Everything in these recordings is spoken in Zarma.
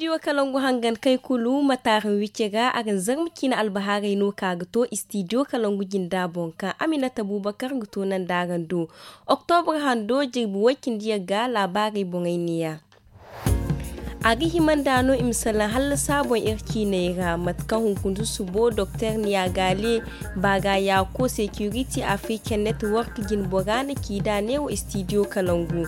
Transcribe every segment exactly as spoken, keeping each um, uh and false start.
Istidiyo kalangu hangan kay kulu ma taaran wicce ga a ga ni zarma ciine albahaarey no ka ga to istidiyo kalangu jinda boŋ kaŋ aminata buubakar ga to nanda araŋ do. Oktobra hando jirbi way-cindi yaŋ ga laabaarey boŋey neeya. A ga hima nd'a no i ma salaŋ hallasa boŋ iri ciiney ra mate kaŋ hunkundu subo doktor niyagaale baaga yaako security african network jinbora na ci nd'a neewo istidiyo kalangu.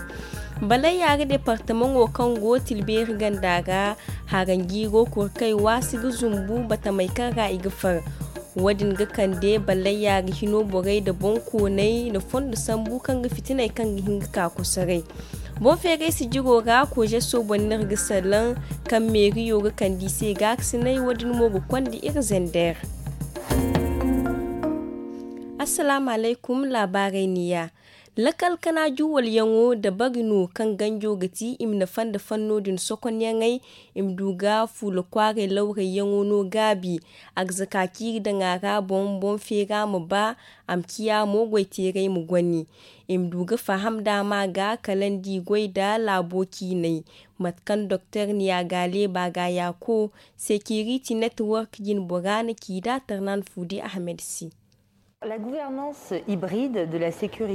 Balay yaare departamaŋo kaŋ go tilbeeri ganda ra haranjiiro kurkay waasi ga zumbu batamey kaŋ ra i ga far. Wo- din ga kande ballayya ga hino borey nda boŋkooney nda fondo sambu kaŋ ga fitiney kaŋ ga hin ga ka kosoray. Boŋ feeray sijiro ra kozeso boŋ no iri ga salaŋ kaŋ meeriyo ga kande i se gaakasinay wo- din mo ga konda iri zender. Assalaamu alaykum. Laabaarey neeya. Lakal kana juwalyaŋo dabari no kaŋ ganjo ga ti i ma nafa nda fanno din sokonyaŋey. I ma du ga fuula kwaaray lawrayyaŋo no gaabi. A ga zaka ciiri daŋ a ra boŋ boŋ feera ma ba. A ma ciya mo goyteeray ma goni. I ma du ga faham daama ga kala nda i goy nda laabo ciinay. Mate kaŋ doktor niya gaale baaga yaako security network jinbora na ci nd'a tarnan fuudi ahmed se.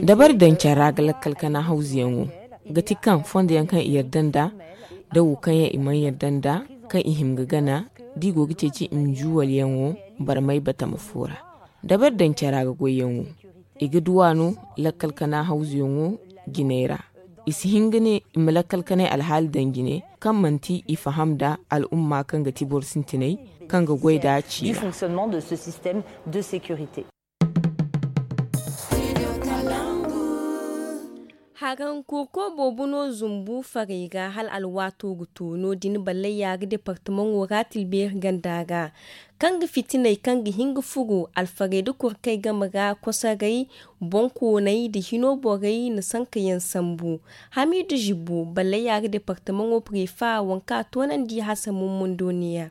Dabari daŋ care ra ga lakkal kana hawzuyaŋo ga ti kaŋ fondo yaŋ kaŋ i yarda nd'a da wo kaŋ yaŋ i mana yarda nd'a kaŋ i hima ga gana da i go ga ceeci i ma juwalyaŋo barmay batama fo ra. Dabari daŋ care ra ga goyyaŋo i ga duw'a no lakkal kana hawzuyaŋo jinay ra. I si hin ga ne i ma lakkal kanay alhaali daŋ jine kaŋ manti i faham nda al'umma kaŋ ga ti boro sintinay kaŋ ga goy nd'a ciira. Haraŋ kurko boobo no zumbu farey ga hala alwaato ga to no- din ballayya ga departamaŋo ra tilbeeri ganda ra kaŋ ga fitinay kaŋ ga hin ga furo alfarey nda kurkey game ra kosoray. Boŋkooney nda hino borey na sanka yaŋ sambu. Hamiidu zibbo ballayya ga departamaŋo prefa waŋ kaŋ a toonandi hasa mummundo neeya.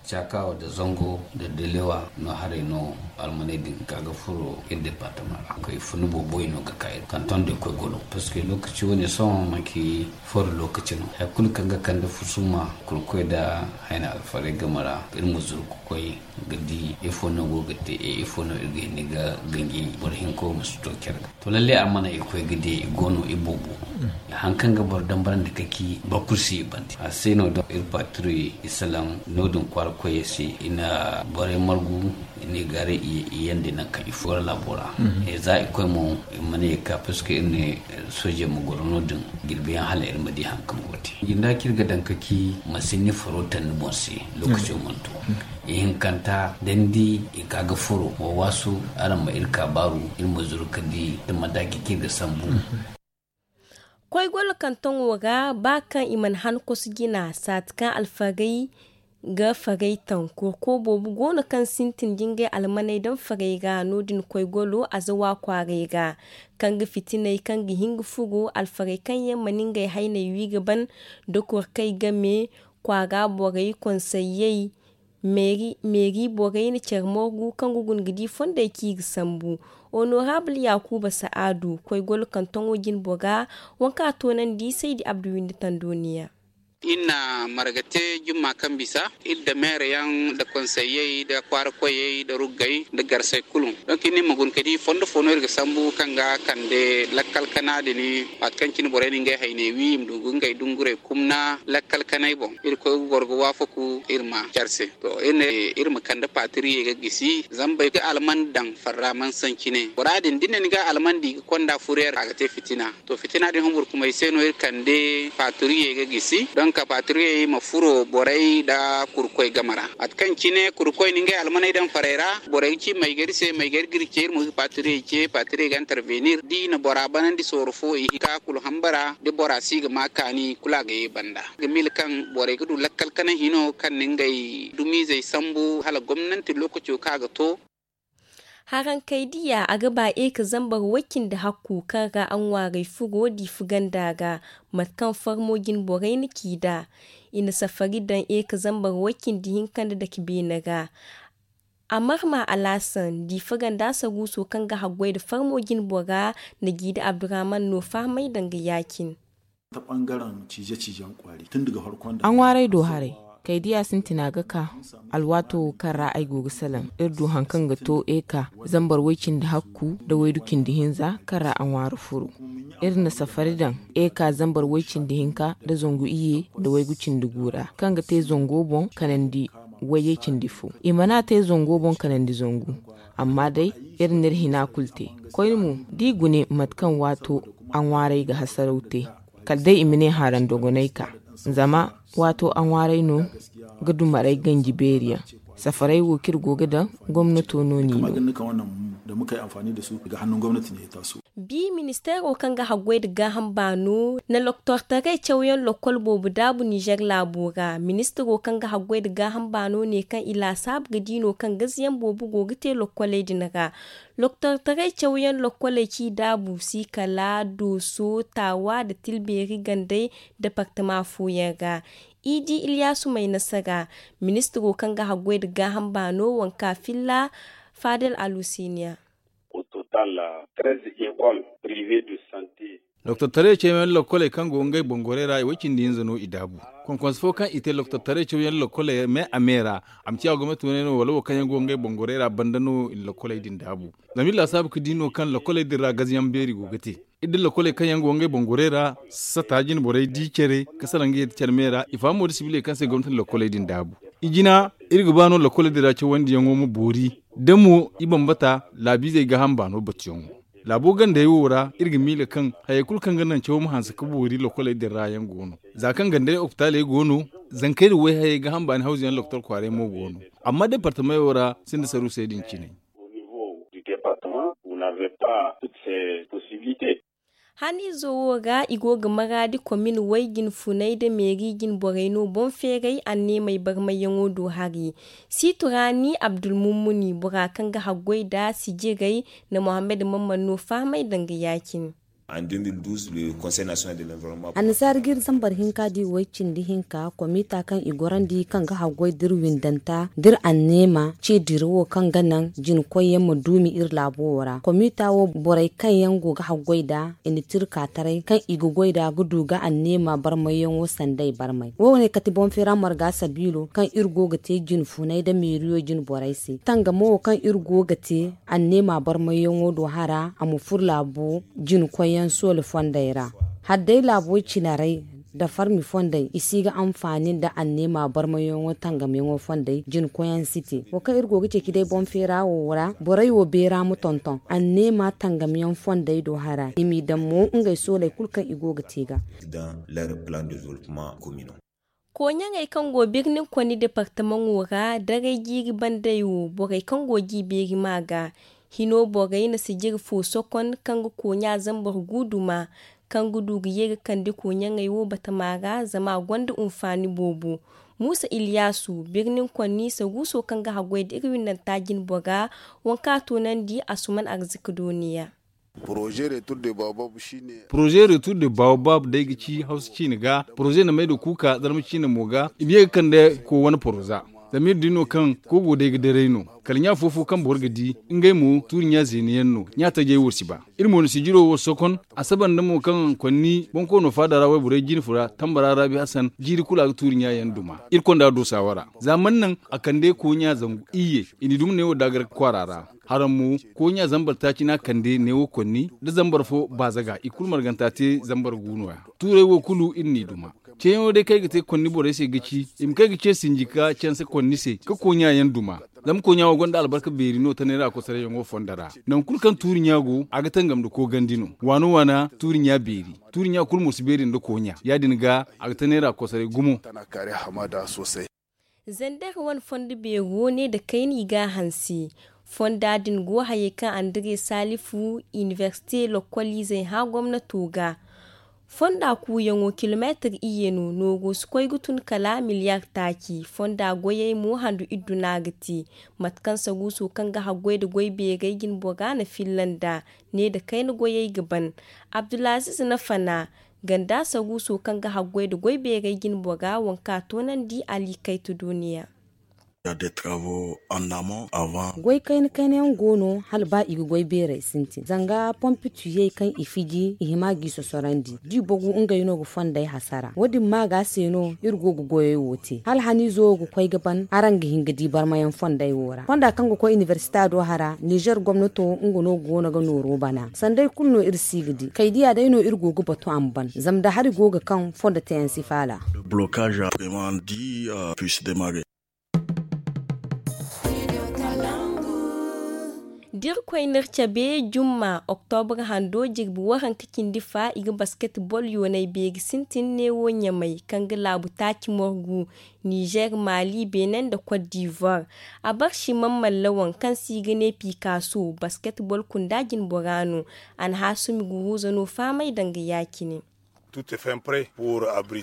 Cakawa nda zango nda delewa no haray no almaney din ka ga furo iri departama ra koy funu booboy no ga ka iri kanton da koy golo parce que lokaci wane sohõ manki foro lokaci no hari kulu kaŋ ga kande fusuma kurkoy nda hayna alfaray game ra iri ma zuru ga koy ga di ifo no go ga te e ifo no iri ga hin ga ganji boro hinko ma si to care ga to lalle a mana i koy ga di i go no i boobo. Hari kaŋ ga boro dambarandi ka ci boro kulu si i bande a se no da iri patiri i salaŋ no- din kwaara koyey se i na borey margu i na i gaaray i yande nangu kaŋ i furo laabo ra. Za i koy mo i mana ye ga ka parce que iri ne soojey ma goro no- din jirbi yaŋ hala iri ma di hari kaŋ go ga te. Jinda kaŋ iri ga daŋ ka ci mansinni faro taŋ ni boŋ se. Lokaco mana to ihinkanta da ni di i ka ga furo wa waasu araŋ ma iri ka baaru iri ma zuru ka di da madaaki kaŋ iri ga sambu. Koy golo kantoŋo ra ba kaŋ i mana han kosu jina saati kaŋ alfarey ga farey taŋ kurko boobo go no kaŋ sintin da ngey almaney daŋ farey ra no- din koy golo azawa kwaaray ra kaŋ ga fitinay kaŋ ga hin ga furo alfarey kaŋ yaŋ mana ngey hayney wi ga ban da kurkey game kwaara borey konsayyey meeri borey na care morgu kaŋ ga guna ga di fondey kaŋ i ga sambu. Honorable yakuba sa'adu koy golo kantoŋo jinbora waŋ kaŋ a toonandi saydi abdu windi tando neeya. Iri na marga te jumma kaŋ bisa iri nda meere yaŋ nda konseyyey nda kwaara koyey nda ruggey nda garsey kulu. Donk iri ne iri ma guna ka di fondo fo no iri ga sambu kaŋ ga kande lakkal kana din. Waati kaŋ cine borey na ngey hayney wi i ma du ga ngey dungurey kumna lakkal kanay boŋ iri koy ga goro ga waafaku iri ma care se. To iri ne iri ma kande patiriyey ga gisi zama boro ga alman daŋ farra mana saŋ cine bora din da ni ne ni ga alman di ga konda furiyar a ga te fitina. To fitina din humburkumay se no iri kande patiriyey ga gisi donk patiriyey ma furo borey nda kurkoy game ra. Mate kaŋ cine kurkoy na ngey almaney daŋ farey ra borey ga ci maygari se maygari ga iri ce iri mo ga patiriyey ce patiriyey ga intervenir da i na bora banandi sooro fo i ka kulu hambara da bora si ga ma kaani kulu a ga ye banda ga mila kaŋ borey ga du lakkal kana hino kaŋ na ngey dumizey sambu hala gomnanti lokaco kaŋ a ga to. Harankey diya a ga ba e ka zambar way-cindi hakku kaŋ ra a ŋwaaray furo diifa ganda ra. Mate kaŋ farmo jine borey na ci nd'a i na safari daŋ e ka zambar way-cindi hinka nda dake beene ra. Amarma alaasan diifa ganda saruuso kaŋ ga haggoy nda farmo jine bora na jiida abdurahman no fahamay daŋ ga ya-cine. A ŋwaaray do haray, kaydiya sintina ga ka. Alwaato wo kaŋ ra ay go ga salaŋ, iri du hari kaŋ ga to eka zambar way-cindi-hakku nda waydu-cindi-hinza kaŋ ra a ŋwaari furu. Iri na safari daŋ eka zambar way-cindi-hinka nda zangu iyye nda waygu-cindi-gu ra, kaŋ ga te zango boŋ kanandi wayey cindi fo. I mana te zango boŋ kanandi zangu, amma day iri n'iri hina kulu te. Koyne mo, d'i gune mate kaŋ waato a ŋwaaray ga hasaraw te, kala day i ma ne haran dogonay ka. Zama waato a ŋwaaray no ga dumaray ganji beeri yaŋ. Safaray wo kaŋ iri go ga daŋ, gomnato no n'i no. Bi ministeero kaŋ ga haggoy nda gaaham baano na loktortaray cawyaŋ lokkol boobo daabu ninzeer laabo ra. Ministiro kaŋ ga haggoy nda gaaham baano ne kaŋ i laasaabu ga di no kaŋ gaziyaŋ boobo go ga te lokkoley din ra. Loktortaray cawyaŋ lokkoley kaŋ i daabu si kala dooso, taawa nda tilbeeri gandey departama fooyaŋ ra. Idi iliyaasu may nasara, ministiro kaŋ ga haggoy nda gaaham baano wanka filla faadal alusiiniya. Doktor taray cawyaŋ lokkoley kaŋ go ngey boŋ gorey ra i way cindi hinza no i daabu. Konkonse fo kaŋ i te doktor taray cawyaŋ lokkoley me a me ra, a ma ciya gomnati wane no wala wo kaŋ yaŋ go ngey boŋ gorey ra banda no i na lokkoley din daabu. Zama iri laasaabu ga di no kaŋ lokkoley din ra gaziyaŋ beeri go ga te. Iri da lokkoley kaŋ yaŋ go ngey boŋ gorey ra sata jine borey di care ka salaŋ ga yadda care me ra i fahamo da sibiley kaŋ se gomnati na lokkoley din daabu. I jina, iri ga ba no lokkoley din ra cawandiyaŋo ma boori. Da mo i bambata laabiizey gaaham baano batuyaŋo. Laabo gandey wo ra iri ga miila kaŋ hayey kulu kaŋ ga naŋ cawo ma hanse ka boori lokkoley din ra yaŋ go no. Za kaŋ gandey opitaaley go no, zankey da wayhayey gaaham baani hawzu yaŋ loktor kwaaray mo go no. Amma departamey wo ra sinda saruusey din cine. Haniizo wo ra i go ga maraadi komin way jinfunay nda meeri jinborey no boŋ feeray anneemey barmayyaŋo do hari. Siituraani abdulmummuni bora kaŋ ga haggoy nda sijiray nda mohammed mamman no fahamay danga ya-cine. Annasaara ga iri zambar hinka di way cindi hinka komita kaŋ i gorandi kaŋ ga haggoy da iri windanta da iri anneema ce dirawo kaŋ ga naŋ jinkoyyaŋ ma duumi iri laabo wo ra komita wo borey kaŋ yaŋ go ga haggoy nda i na tirka taray kaŋ i ga goy nd'a ga du ga anneema barmayyaŋo sanday barmay wo- ne kate boŋ feera marga sabiilo kaŋ iri go ga te jinfunay nda meeriyo jinborey se tangamo wo kaŋ iri go ga te anneema barmayyaŋo do hara a ma fur laabo jinkoyyaŋ soole fondey ra. Hadday laabo cinaray nda farmi fondey i si ga anfaani nda anneema barmayyaŋo tangamyaŋo fondey jinkoyyaŋ si te wo kaŋ iri go ga ceeci day boŋ feera wo ra borey wo beera ma tonton anneema tangamyaŋ fondey do hara i m'i daŋ mo ngey sooley kulu kaŋ i go ga te ga. Kooɲaŋey kaŋ go birnin konni departamaŋo ra daray jiiri bandey wo borey kaŋ go g'i beeri ma ga hino borey na sijiri fo sokon kaŋ ga kooɲa zambar gu duma kaŋ ga du ga ye ga kande kooɲaŋey wo batama ra zama a gonda hunfaani boobo. Muusa iliyaasu birnin konni saguuso kaŋ ga haggoy da iri windanta jinbora waŋ kaŋ a toonandi asuman arziki dooniya. Poroze retur de baobab day ga ci hawsa ciine ga poroze na may da kuuka zarma ciine mo ga i ma ye ga kande ko wane poroza. Zama iri di no kaŋ ko go day ga daray no kala ɲa fo-fo kaŋ boro ga di ngey mo tuuri ɲa zeeni yaŋ no ɲa tajey wo si ba. Iri mo na sijiro wo sokon a saba nda mo kaŋ konni boŋ koono faada ra wayborey jine fura tambara raabi hasan jiiri kulu a ga tuuri ɲa yaŋ duma iri konda doosa wara za mana naŋ a kande kooɲa zangu iyye i n'i duma neewo daagar kwaara ra. Haraŋ mo kooɲa zambar taaci no a kande neewo konni nda zambar fo baazaga i kulu marganta te zambar gu no- ya. Tuurey wo kulu iri n'i duma. Ceeyaŋo day kaŋ ay ga te konni borey se ga ci i ma kay ga ce sinji ka canse konni se ka kooɲa yaŋ duma. Zama kooɲa wo gonda albarka beeri no tanay ra kosorayyaŋo fondo ra. Nangu kulu kaŋ tuuri ɲa go a ga tangam nda koogandi no waana waana tuuri ɲa beeri. Tuuri ɲa kulu mo si beeri nda kooɲa ya- din ga a ga tanay ra kosoray gumo. Zandar wane fondo beero ne nda kayna i g'a hanse. Fonda din go hayey kaŋ andire salifu inibersite lokkoliizey hã gomnato ga. Fonda kuuyaŋo kilomeetir iyye no nooru si koy ga tun kala miliyar taaci fonda goyey mo handu idduna ga te. Mate kaŋ saguuso kaŋ ga haggoy nda goy beerey jinbora na filla nd'a ne nda kayna goyey ga ban. Abdulaziz na fana ganda saguuso kaŋ ga haggoy nda goy beerey jinbora waŋ kaŋ a toonandi ali kaytu duuniya. Goy kayna kayna yaŋ go no hala ba i ga goy beerey sintin zanga pompi tuyey kaŋ i fiji i hima g'i sosorandi da i bogu ngey no ga fondey hasara wo- din ma ga se no iri go ga goyey wo te hala haniizo wo ga koy ga ban araŋ ga hin ga di barmayaŋ fondey wo ra fonda kaŋ ga koy inibersita do hara nizer gomnato nga no go no ga nooro bana sanday kulu no iri si ga di kaydiya day no iri go ga batu a ma ban zama da hari go ga kaŋ fondo teyaŋ si faala. Da irkoy n'iri cabe jumma oktobra hando jirbi waranka cindi fa i ga basketbol yoonay beeri sintin neewo ɲamay kaŋ ga laabu taaci morgu nizer mali benin nda kot divoire. A barsi mammalla waŋ kaŋ se i ga ne pikaso basketbol kunda jinbora no. A na haasumi guruuza no fahamay danga ya-cine.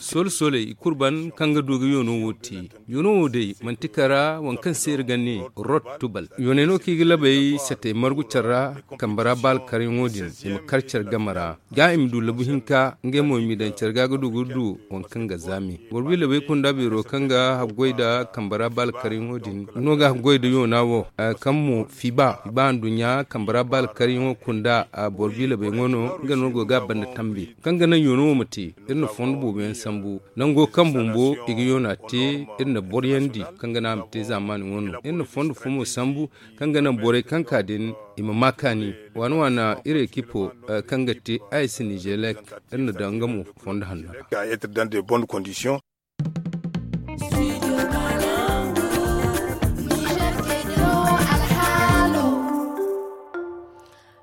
Soole sooley i kulu ban kaŋ ga du ga yoono wo te. Yoono wo day manti kara waŋ kaŋ se iri ga ne rot tubal yooney no kaŋ i ga labey satey margu care ra. Kambe ra ba alkaryaŋo din i ma kar care game ra ga i ma du labu hinka ngey mo i m'i daŋ care ga ga du ga du waŋ kaŋ ga zaami boro biilabey kunda beero kaŋ ga haggoy nda kambe ra ba alkaryaŋo din no ga haggoy nda yoona wo. Kaŋ mo fiba fiba nduɲɲa kambe ra ba alkaryaŋo kunda boro biilabey ŋwa no nga no go ga a banda tambi kaŋ ga naŋ yoono wo ma te. Iri na fondo boobo yaŋ sambu nango kaŋ bumbo i ga yoona te iri na boro yaŋ di kaŋ ga naŋ a ma te zaamaani ŋwa no iri na fondo fo mo sambu kaŋ ga naŋ borey kaŋ ka din i ma ma kaani waana waana iri ekipo kaŋ ga te a i si nizelek iri na daŋ nga mo fondo hanno ra.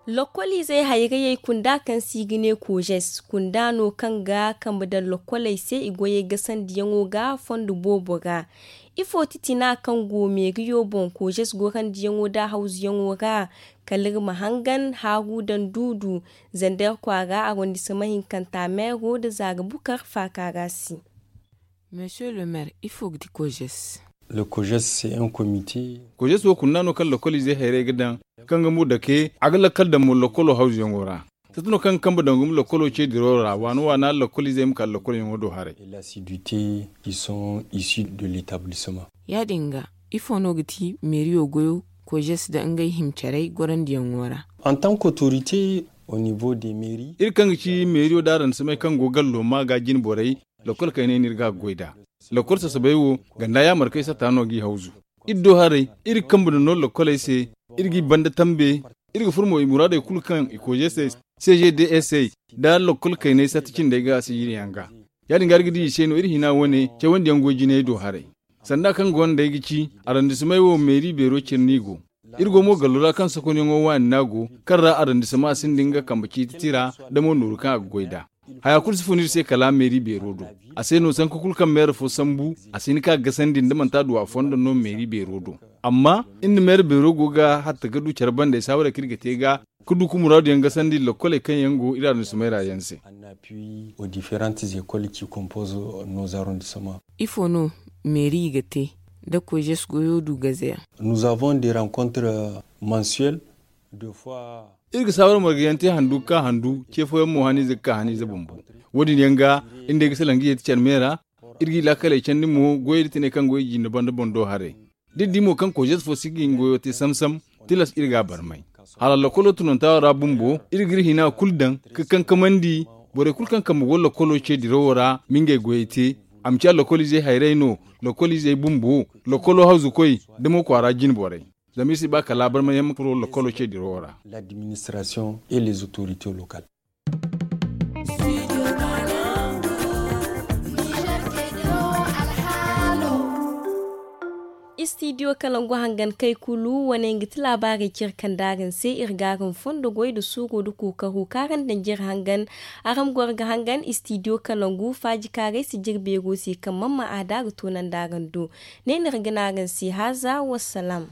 Lokkol izey hayrayey kunda kaŋ se i ga ne kojes kunda no kaŋ ga kambe daŋ lokkoley se i goyey gasandiyaŋo ga fondo boobo ra. Ifo titina kaŋ go meeriyo boŋ kojes gorandiyaŋo nda hawzuyaŋo ra? Kala iri ma hangan haaru daŋ duudu zander kwaara arondisama hinkanta meero nda zaara bukar faaka ra se. Monsieur le maire ifo ga ti kojes? Le kojes se un comité. Kojes wo kunda no kaŋ lokol izey hayray ga daŋ kaŋ ga mo dake a ga lakkal daŋ mo lokolo hawzuyaŋo ra. Sata no kaŋ ga kambe daŋ gumo lokolo ce diro ra waana waana lokol izey ma kala lokol yaŋo do haray. L'assiduité qui sont issus de l'établissement. Ya- din ga ifo no ga ti meeriyo goyo kojes da ngey himcaray gorandiyaŋo ra? En tant qu'autorité au niveau des mairies. Iri kaŋ ga ci meeriyo da arandisamey kaŋ go gallo ma ga jine borey. Lokol kayney no iri ga a ga goy nd'a. Lokol sasabey wo ganda yaamarkey sata no g'i hawzu. Iri do haray iri ga kambe nda no lokoley se. Iri g'i banda tambe. Iri ga furo mo i muraadey kulu kaŋ i koojey se. C G D S A nda lokol kayney sata cindey ga a si iri yaŋ ga. Ya- din ga iri ga di i se no iri hina wane cawandi yaŋ goy jinay do haray. Sanda kaŋ gonda ay ga ci arandisamey wo meeri beero cine no i go. Iri go mo gallo ra kaŋ sokonyaŋo waani no a go kaŋ ra arandisama sinda nga kambe ciiti tira da mo nooru kaŋ a ga goy nd'a. Haya kulu si fun iri se kala meeri beero do. A se no sanka kulu kaŋ meera fo sambu a si hin ka gasandi nda manti a du a fondo no meeri beero do. Amma iri na meera beero go ga hatta ga du care banda ay saawara kaŋ iri ga te ga ka du ka muraadu yaŋ gasandi lokkoley kaŋ yaŋ go iri arandisama ra yaŋ se. Aux différentes écoles qui composent nos arrondissements. Ifo no meeri ga te da kojes goyo du gaze yaŋ? Nous avons des rencontres mensuelles. Iri ga saawara marga yaŋ te handu ga ka handu ce fooyaŋ mo haniize ga ka haniize bumbo. Wo- din yaŋ ga iri day ga salaŋ ga yeeti care me ra. Iri g'i laakaley candi mo goyey da tiney kaŋ go i jinde banda boŋ do haray. Da iri di mo kaŋ kojes fo si ga hin goyo te sam sam. Tilas iri ga a barmay hala lokolo tunantawo ra bumbo iri ga iri hina kulu daŋ ka kankamandi. Borey kulu kaŋ kambe go lokolo ce dirawo ra ma ngey goyey te. A ma ciya lokol izey hayray no, lokol izey bumbo, lokolo hawzukoy, da mo kwaara jine borey. Zama iri si ba kala barmayaŋ ma furo lokolo ce dirawo ra. L'administration et les autorités locales. Istidiyo kalangu hangan kay kulu wane nga ti laabaarey cire kaŋ da araŋ se iri ga araŋ fondo goy nda suuro nda kookaro kaŋ araŋ daŋ jire hangan. Araŋ goro ga hangan istidiyo kalangu faaji kaaray si jire beero se kaŋ mamma a da ga toonandi araŋ do. Ne no iri ga ne araŋ se haaza wassalaam.